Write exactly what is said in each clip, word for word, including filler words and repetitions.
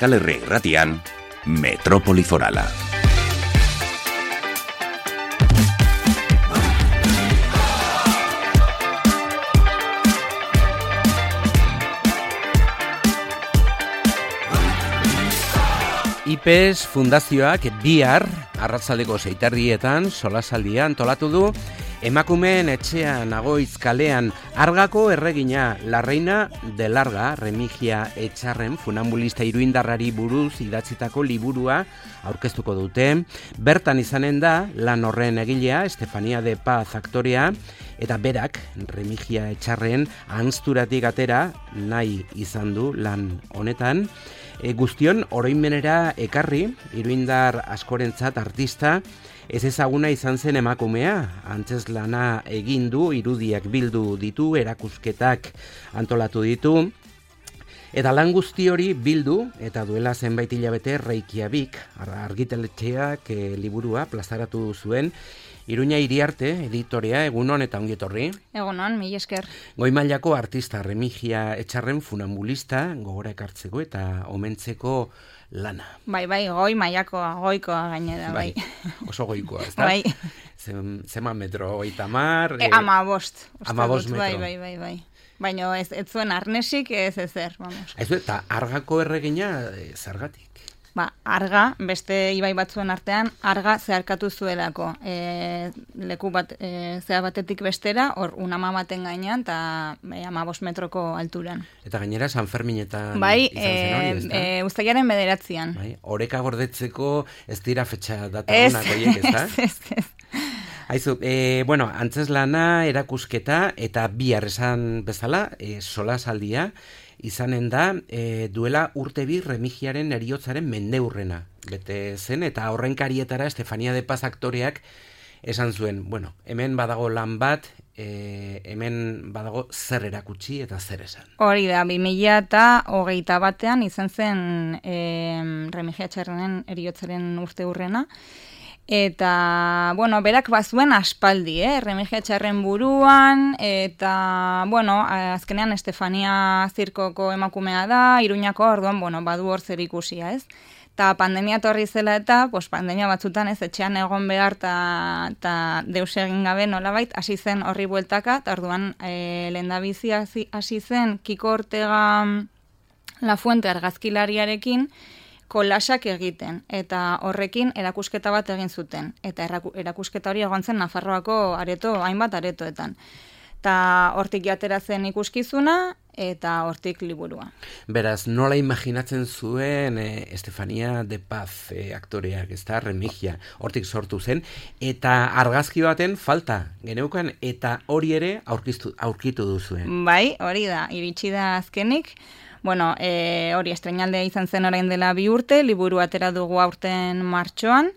Euskal Herria Irratian, Metrópoli Forala. I P E S Fundazioak bihar arratsaldeko seiterdietan solasaldia antolatu du emakumeen etxea Nagoitz kalean Argako erregina La Reina de Larga Remigia Etxarren funambulista iruindarrari buruz idatzitako liburua aurkeztuko dute. Bertan izanen da lan horren egilea Estefania de Paz aktorea eta berak Remigia Etxarren ahanzturatik atera nahi izan du lan honetan. E, guztion oroimenera ekarri, iruindar askorentzat artista, ez ezaguna izan zen emakumea, antzezlana egin du, irudiak bildu ditu, erakusketak antolatu ditu, eta lan guzti hori bildu, eta duela zenbait hilabete Reykjavik, argitaletxeak e, liburua plazaratu zuen, Iruña Iriarte, editorea, egunon eta ongietorri. Egunon, mila esker. Goi mailako artista Remigia Etxarren funambulista, gogora ekartzeko eta omentzeko lana. Bai, bai, goi mailako, goikoa gainera, bai. bai. Oso goikoa, ez da? Bai. Zema metro, oita mar... E, ama bost. Ama bost metro. Bai, bai, bai, bai. Baina ez, ez zuen arnesik ez ezer, vamos. Ez du, eta Argako erregina zergatik? Ba, Arga, beste ibai batzuen artean, Arga zeharkatu zuelako. E, leku bat, e, zea batetik bestera, hor unama baten gainean, eta e, ama bost metroko alturan. Eta gainera San Ferminetan bai, izan zen hori, ez da? Bai, e, uztailaren bederatzian. Bai, oreka gordetzeko ez dira fetxa datarunak horiek, ez da? Ez, ez, ez. Aizu, e, bueno, antzeslana, erakusketa, eta bihar esan bezala, e, solasaldia, izanen da, e, duela urte bi Remigiaren heriotzaren mendeurrena bete zen, eta horrenkarietara Estefania de Paz aktoreak esan zuen, bueno, hemen badago lan bat, e, hemen badago zer erakutsi eta zer esan. Hori da, bi mila eta hogeita batean izan zen e, Remigia Etxarrenen heriotzaren urte urrena, eta, bueno, berak bazuen aspaldi, eh? Remigia Etxarren buruan, eta, bueno, azkenean Estefania zirkoko emakumea da, Iruñako, orduan, bueno, badu hor zer ikusia, ez? Ta pandemia torri zela eta, pues, pandemia batzutan ez, etxean egon behar eta deus egin gabe nolabait, hasi zen horri bueltaka, eta orduan e, lehendabizi hasi zen Kiko Ortega La Fuente argazkilariarekin, kolasak egiten, eta horrekin erakusketa bat egin zuten. Eta erakusketa hori egon zen Nafarroako areto, hainbat aretoetan. Eta hortik jatera zen ikuskizuna, eta hortik liburua. Beraz, nola imaginatzen zuen eh, Estefania de Paz eh, aktoreak, ez da, Remigia, hortik sortu zen, eta argazki baten falta geneukan, eta hori ere aurkitu, aurkitu duzuen. Bai, hori da, iritsi da azkenik. Bueno, e, hori estrenaldea izan zen orain dela bi urte, liburu atera dugu aurten martxoan,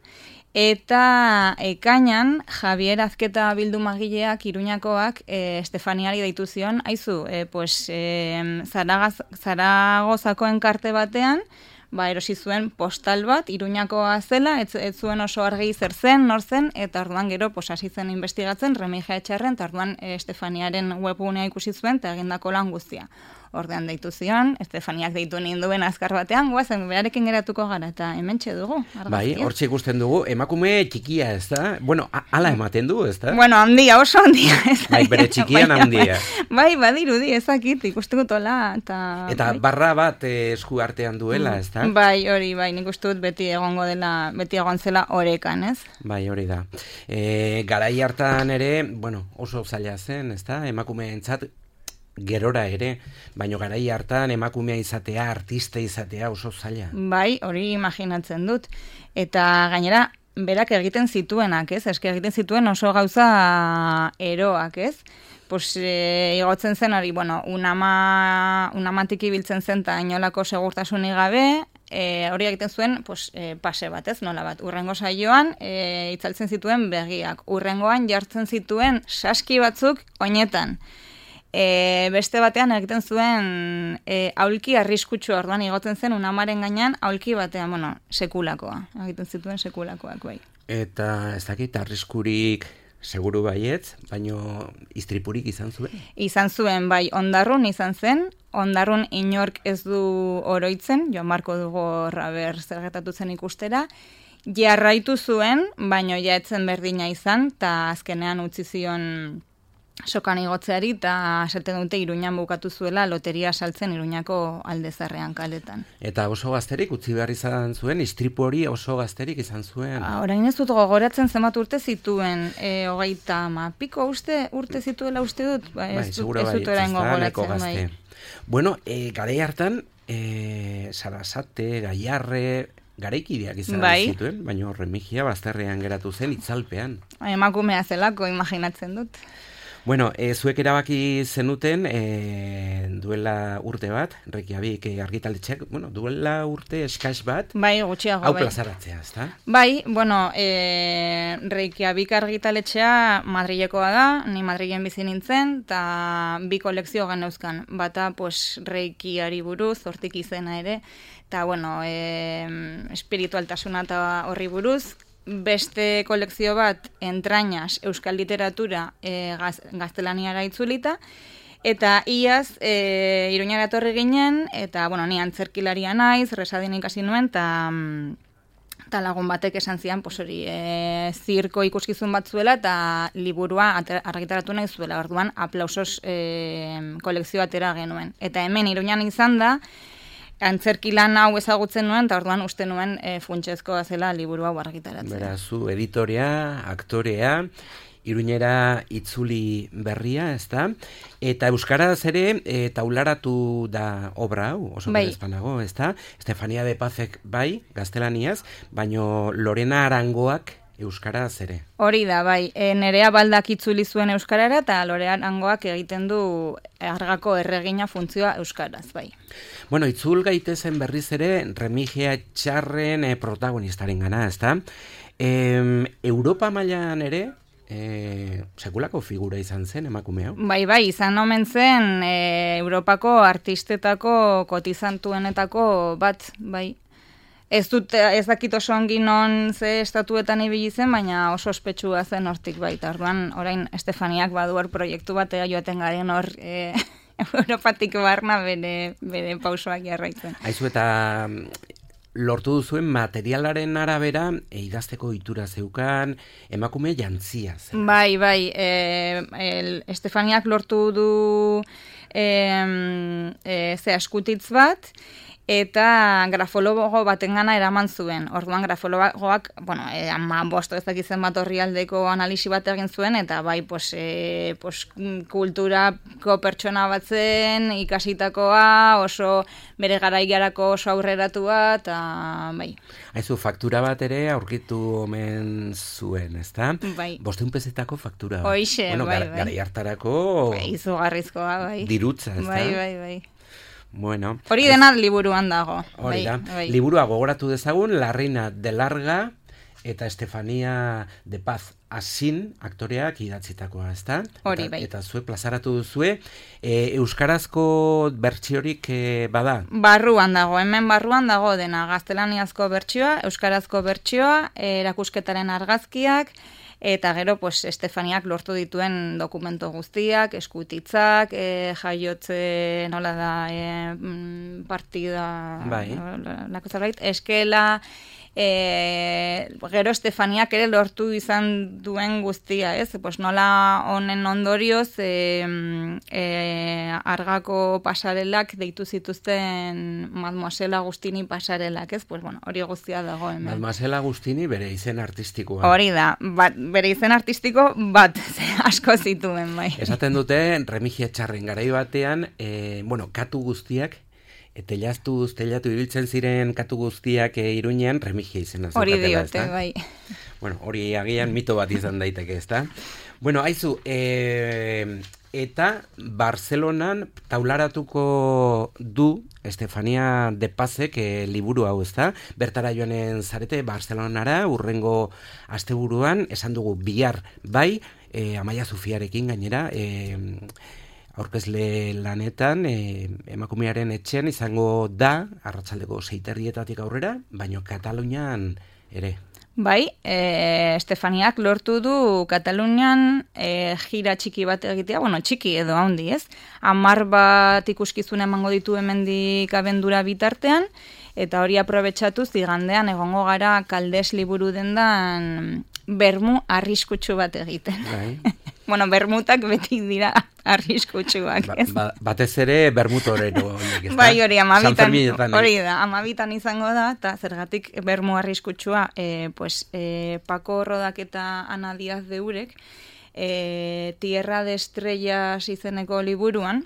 eta ekainan Javier Azketa bildumagileak Iruñakoak e, Estefaniari deitu zion, haizu, e, pues, e, Zaragaz, Zaragozako enkarte batean, ba, erosi zuen postal bat, Iruñakoa zela, ez, ez zuen oso argi zer zen, nor zen, eta orduan gero pues, hasi zen investigatzen Remigia Etxarren, eta orduan e, Estefaniaren webgunea ikusi zuen, eta egindako lan guztia. Ordean deitu zion, Estefaniak deitu ninduen azkar batean, guazen, beharekin geratuko gara, eta hementxe dugu. Argazkia. Bai, hortxe ikusten dugu, emakume txikia, ez da? Bueno, ala ematen du, ez da? Bueno, handia, oso handia, ez da? Bai, bere txikian handia. Bai, badirudi, ezakit, ikustuko tola, eta... Eta bai. Barra bat eh, esku artean duela, ez da? Bai, hori, bai, nik uste dut beti egongo dela, beti egon zela orekan, ez? Bai, hori da. E, garai hartan ere, bueno, oso zaila zen, ez da? Emakumeentzat gerora ere, baino garai hartan emakumea izatea, artista izatea oso zaila. Bai, hori imaginatzen dut. Eta gainera, berak egiten zituenak, ez? Eske egiten zituen oso gauza eroak, ez? Pues, e, igotzen zen hori, bueno, unama, unamatik ibiltzen zen eta inolako segurtasunik gabe, e, hori egiten zuen pues, e, pase bat, ez? Nola bat, urrengo saioan e, itzaltzen zituen begiak, urrengoan jartzen zituen saski batzuk oinetan. E, beste batean egiten zuen e, aulki arriskutsu, orduan igotzen zen unamaren gainean aulki batean, bueno, sekulakoa. Egiten zituen sekulakoak, bai. Eta ez dakit arriskurik Seguru baietz, baino istripurik izan zuen? Izan zuen, bai, Ondarrun izan zen, Ondarrun inork ez du oroitzen, Joan Marko dugu raber zer gertatu zen ikustera, jarraitu zuen, baino ja etzen berdina izan, eta azkenean utzi zion sokan igotzeari, eta esaten dute Iruñan bukatu zuela loteria saltzen Iruñako Aldezarrean kaletan. Eta oso gazterik utzi behar izan zuen, istripu hori oso gazterik izan zuen. Ah, orain ez dut gogoratzen zenbat urte zituen, e, hogeita ma piko uste, urte zituela uste dut, ba, ez, bai, dut, ez dut orain gogoratzen. Bai. Bueno, e, garai hartan, e, Sarasate, Gaiarre, garaikideak izan bai. Zituen, baina Remigia bazterrean geratu zen itzalpean. Emakumea zelako, imaginatzen dut. Bueno, e, zuek erabaki zenuten e, duela urte bat, Reykjavik argitaletxeak, bueno, duela urte eskaz bat, bai, gutxiago, hau bai. plazaratzea, ezta? Bai, bueno, e, Reykjavik argitaletxea Madrilekoa da, ni Madrilen bizi nintzen, eta bi kolekzio geneuzkan, bata, pues, Reikiari buruz, hortik izena ere, eta, bueno, e, espiritualtasuna eta horri buruz, beste kolekzio bat entrañas euskal literatura e, gaz, gaztelaniara itzulita, eta iaz e, Iruñara etorri ginen, eta bueno, ni antzerkilaria naiz, resadin ikasi nuen, eta ta lagun batek esan zian, pues hori, e, zirko ikuskizun bat zuela, eta liburua argitaratu nahi zuela, orduan aplausos e, kolekzio atera genuen. Eta hemen Iruñan izan da, antzerkilan hau ezagutzen nuen, eta orduan uste nuen e, funtsezkoa zela liburu hau argitaratzea. Beraz, zu editorea, aktorea, Iruñera itzuli berria, ezta? Eta euskaraz ere e, taularatu da obra hau, oso bai. berezpanago, ezta? Estefania de Pazek bai, gaztelaniaz, baino Lorena Arangoak euskaraz ere. Hori da, bai. E, Nerea Baldak itzuli zuen euskarara, eta Lorena Arangoak egiten du Argako erregina funtzioa euskaraz, bai. Bueno, itzul gaitezen berriz ere Remigia Etxarren e, protagonistaren gana, ezta? E, Europa mailan ere, E, sekulako figura izan zen emakume hau? Bai, bai, izan omen zen e, Europako artistetako kotizantuenetako bat, bai. Ez dut, ez dakit oso ongi non ze estatuetan ibili zen, baina oso ospetsua zen hortik baita. Orduan, orain Estefaniak badu hor proiektu batea joaten garen hor e, Europatik barna bere, bere pausoak jarraitzen. Aizu eta lortu duzuen materialaren arabera e, idazteko itura zeukan, emakume jantzia zen. Bai, bai, e, el, Estefaniak lortu du e, e, ze askutitz bat, eta grafologo batengana eraman zuen. Orduan grafologoak, bueno, e, ama bosto ez dakitzen bat orrialdeko analisi bat egin zuen, eta bai, pues, e, pues, kulturako pertsona batzen, ikasitakoa, oso bere garaigarako oso aurreratua, eta bai. Haizu, faktura bat ere aurkitu omen zuen, ezta? Bai. Bosteun pezetako faktura. Hoixe, bueno, bai, gar, bai. Garai hartarako Bai, izugarrizkoa, bai. Dirutza, ezta? Bai, bai, bai. Bueno, hori dena liburuan dago. Hori da. Bai, bai. Liburua gogoratu dezagun, La Reina de Larga eta Estefania de Paz Asin aktoreak idatzitakoa, ezta? Hori, eta, bai. Eta zue plazaratu duzue, e, euskarazko bertsiorik e, bada? Barruan dago, hemen barruan dago dena, gaztelaniazko bertsioa, euskarazko bertsioa, erakusketaren argazkiak, eta gero, pues, Estefaniak lortu dituen dokumento guztiak, eskutitzak, e, jaiotze, nola da, e, partida, bai. lako zerbait, eskela, e, gero Estefaniak ere lortu izan duen guztia, ez? Pues nola honen ondorioz, e, e, argako pasarelak deitu zituzten Mademoiselle Agustini pasarelak, ez? Pues bueno, hori guztia dago hemen. Mademoiselle Agustini bere izen artistikoa. Hori da, bat, bere izen artistiko bat asko zituen, bai. Esaten dute, Remigia Etxarren garai batean, e, bueno, katu guztiak, telaztuz, telatu ibiltzen ziren katu guztiak e, Iruñean, Remigia izena zukatela, hori diote, bai. Bueno, hori agian mito bat izan daiteke, ezta? Bueno, haizu, e, eta Barcelonan taularatuko du Estefania de Pazek e, liburu hau, ezta? Bertara joanen zarete Barcelonara, urrengo asteburuan, esan dugu bihar bai, e, Amaia Zufiarekin gainera, e, aurkezle lanetan, e, emakumearen etxean izango da, arratsaldeko seiterrietatik aurrera, baino Katalunian ere. Bai, e, Estefaniak lortu du Katalunian e, gira txiki bat egitea, bueno, txiki edo handi, ez? Hamar bat ikuskizun emango ditu hemendik abendura bitartean, eta hori aprobetxatuz igandean egongo gara Kaldes liburu dendan bermu arriskutsu bat egiten. Bai. Bueno, bermutak beti dira arriskutsuak, ez? Ba, ba, batez ere bermutorero. Bai, hori, amabitan, hori da, amabitan izango da, eta zergatik bermu arriskutsua, e, pues, e, Paco Rodak eta Ana Díaz de Urek, e, Tierra de Estrellas izeneko liburuan,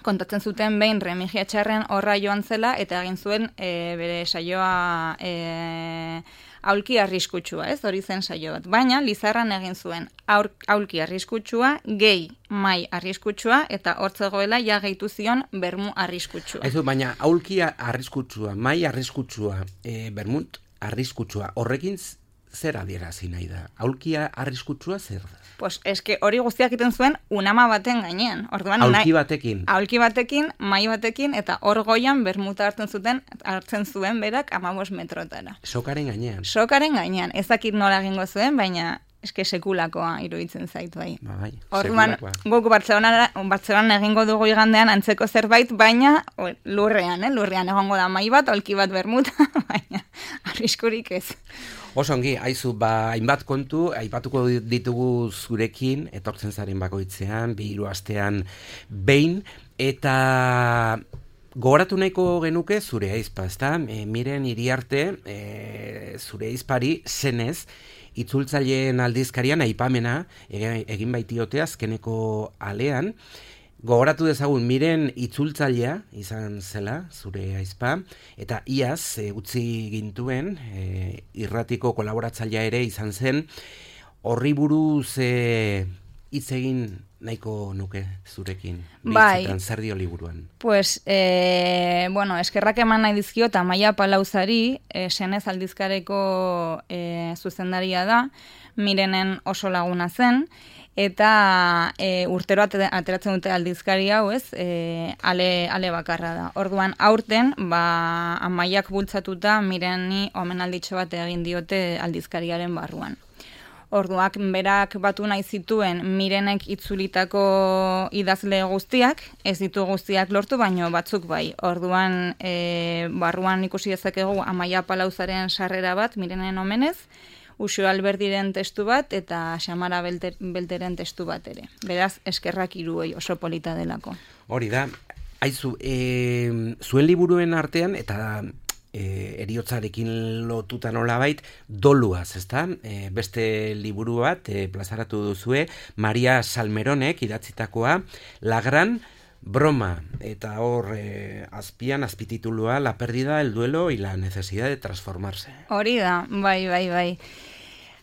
kontatzen zuten behin Remigia Txarren horra joan zela, eta egin zuen e, bere saioa e, aulki arriskutsua, ez? Hori zen saio bat. Baina, Lizarran egin zuen aur, aulki arriskutsua, gehi mai arriskutsua, eta hortzegoela ja gehitu zion bermu arriskutsua. Aizu, baina aulki arriskutsua, mai arriskutsua, e, bermut arriskutsua, horrekin zer adierazi nahi da? Aulkia arriskutsua zer da? Pues eske hori guztiak egiten zuen unama baten gainean. Orduan, aulki batekin. Aulki batekin, mai batekin, eta hor goian bermuta hartzen zuten, hartzen zuen berak amabos metrotara. Sokaren gainean. Sokaren gainean. Ezakit nola egingo zuen, baina eske sekulakoa iruditzen zaitu bai. Ba, bai, orduan, guk Bartzelonan egingo dugu igandean antzeko zerbait, baina o, lurrean, eh? Lurrean egongo da mai bat, aulki bat bermuta, baina arriskurik ez. Oso ongi, haizu, ba, hainbat kontu, aipatuko ditugu zurekin, etortzen zaren bakoitzean, bi hiru astean behin, eta gogoratu nahiko genuke zure aizpa, ezta? E, miren Iriarte, e, zure aizpari zenez, itzultzaileen aldizkarian aipamena egin baitiote azkeneko alean. Gogoratu dezagun, miren itzultzailea izan zela, zure aizpa, eta iaz e, utzi gintuen, e, irratiko kolaboratzailea ere izan zen, horri buruz e, hitz egin nahiko nuke zurekin, bitzetan, zer dio liburuan. Pues, e, bueno, eskerrak eman nahi dizkio, eta Maia Palauzari, e, senez aldizkareko e, zuzendaria da, mirenen oso laguna zen, eta e, urtero ateratzen dute aldizkari hau, ez, e, ale, ale bakarra da. Orduan, aurten, ba, Amaiak bultzatuta mireni omenalditxo bat egin diote aldizkariaren barruan. Orduak, berak batu nahi zituen mirenek itzulitako idazle guztiak, ez ditu guztiak lortu, baino batzuk bai. Orduan, e, barruan ikusi dezakegu Amaia Palauzaren sarrera bat, mirenen omenez, Uxo Alberdiren testu bat eta Xamara Belter, Belteren testu bat ere. Beraz, eskerrak hiruei oso polita delako. Hori da, haizu, e, zuen liburuen artean, eta e, eriotzarekin lotuta nolabait, doluaz, ezta? E, beste liburu bat, e, plazaratu duzue, Maria Salmeronek idatzitakoa, La Gran Broma, eta hor eh, azpian, azpititulua, La pérdida, el duelo y la necesidad de transformarse. Hori da, bai, bai, bai.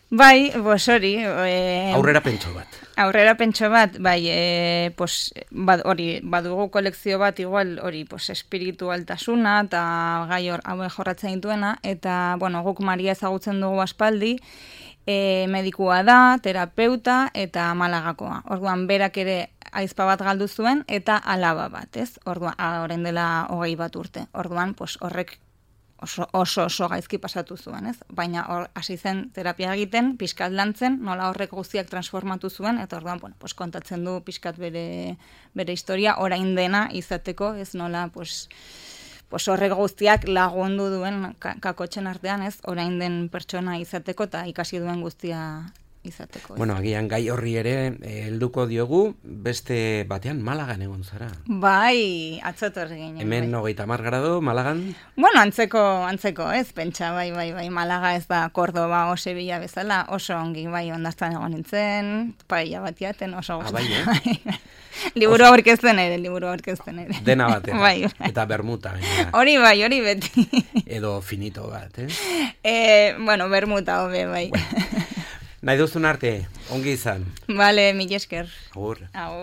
Bai, pues hori. Eh, aurrera pentso bat. Aurrera pentso bat, bai, eh, pues, bad, hori, badugu kolekzio bat, igual, hori, pues, espiritualtasuna, eta gai hor, haue jorratzen dituena, eta, bueno, guk Maria ezagutzen dugu aspaldi, e, medikua da, terapeuta, eta Malagakoa. Orduan, berak ere aizpa bat galdu zuen, eta alaba bat, ez? Orduan, orain dela hogei bat urte. Orduan, pues, horrek oso, oso oso gaizki pasatu zuen, ez? Baina hor hasi zen terapia egiten, pixkat lantzen, nola horrek guztiak transformatu zuen, eta orduan, bueno, pues, kontatzen du pixkat bere, bere historia, orain dena izateko, ez nola, pues, pues horrek guztiak lagundu duen kakotxen artean, ez? Orain den pertsona izateko, eta ikasi duen guztia izateko. Ez. Bueno, agian gai horri ere helduko diogu, beste batean Malagan egon zara. Bai, atzotor ginen. Hemen bai. hogeita hamar grado, Malagan? Bueno, antzeko, antzeko, ez, pentsa, bai, bai, bai, Malaga ez da Cordoba o Sevilla bezala, oso ongi, bai, ondaztan egon nintzen, paella bat jaten, oso guzti. Ah, bai, eh? Liburu aurkezten ere, liburu aurkezten ere. Dena batera. Bai, bai. Eta bermuta. Baina. Hori bai, hori beti. Edo finito bat, eh? eh bueno, bermuta hobe, bai. Bueno. Nahi duzun arte, ongi izan. Vale, mila esker. Agur. Agur.